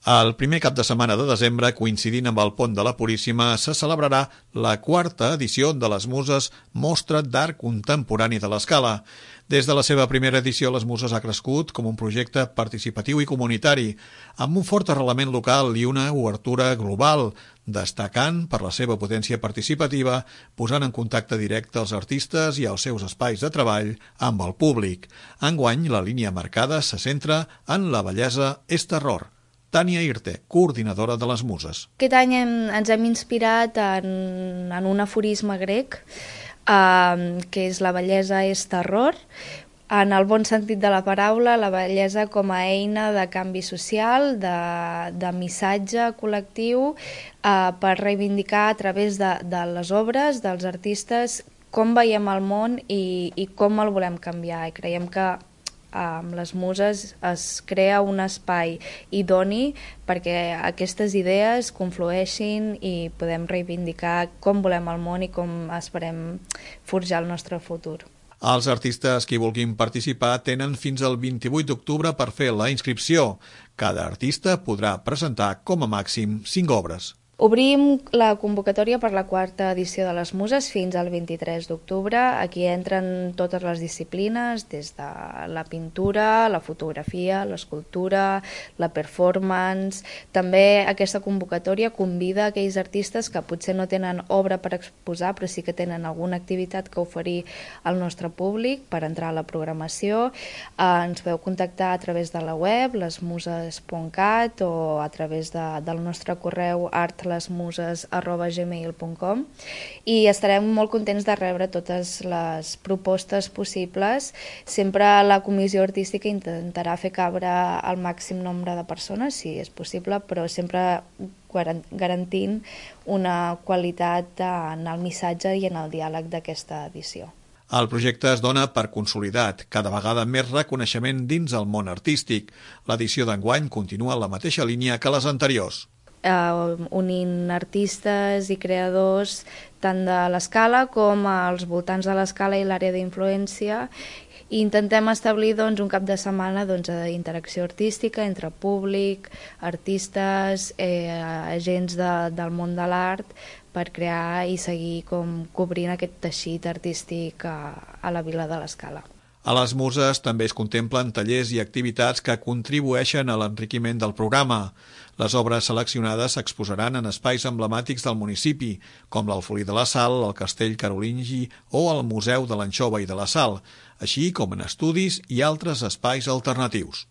El primer cap de setmana de desembre, coincidint amb el Pont de la Puríssima, se celebrarà la 4ª edició de les Muses Mostra d'Art Contemporani de l'Escala. Des de la seva primera edició, les Muses ha crescut com un projecte participatiu i comunitari, amb un fort arrelament local i una obertura global, destacant per la seva potència participativa, posant en contacte directe els artistes i els seus espais de treball amb el públic. Enguany, la línia marcada se centra en la bellesa és terror. Tània Irte, coordinadora de les Muses. Aquest any ens hem inspirat en un aforisme grec, que és la bellesa és terror, en el bon sentit de la paraula, la bellesa com a eina de canvi social, de missatge col·lectiu, per reivindicar a través de les obres, dels artistes, com veiem el món i com el volem canviar. I creiem que amb les Muses es crea un espai idoni perquè aquestes idees conflueixin i podem reivindicar com volem el món i com esperem forjar el nostre futur. Els artistes que hi vulguin participar tenen fins al 28 d'octubre per fer la inscripció. Cada artista podrà presentar com a màxim 5 obres. Obrim la convocatòria per la 4ª edició de les Muses fins al 23 d'octubre. Aquí entren totes les disciplines, des de la pintura, la fotografia, l'escultura, la performance. També aquesta convocatòria convida aquells artistes que potser no tenen obra per exposar, però sí que tenen alguna activitat que oferir al nostre públic per entrar a la programació. Ens podeu contactar a través de la web, lesmuses.cat, o a través del nostre correu artlesmuses@gmail.com, i estarem molt contents de rebre totes les propostes possibles. Sempre la comissió artística intentarà fer cabre el màxim nombre de persones, si és possible, però sempre garantint una qualitat en el missatge i en el diàleg d'aquesta edició. El projecte es dona per consolidat, cada vegada més reconeixement dins el món artístic. L'edició d'enguany continua en la mateixa línia que les anteriors. Unint artistes i creadors tant de l'Escala com als voltants de l'Escala i l'àrea d'influència, i intentem establir un cap de setmana d'interacció artística entre públic, artistes, agents del món de l'art, per crear i seguir cobrint aquest teixit artístic a la vila de l'Escala. A les Muses també es contemplen tallers i activitats que contribueixen a l'enriquiment del programa. Les obres seleccionades s'exposaran en espais emblemàtics del municipi, com l'Alfolí de la Sal, el Castell Carolingi o el Museu de l'Anxova i de la Sal, així com en estudis i altres espais alternatius.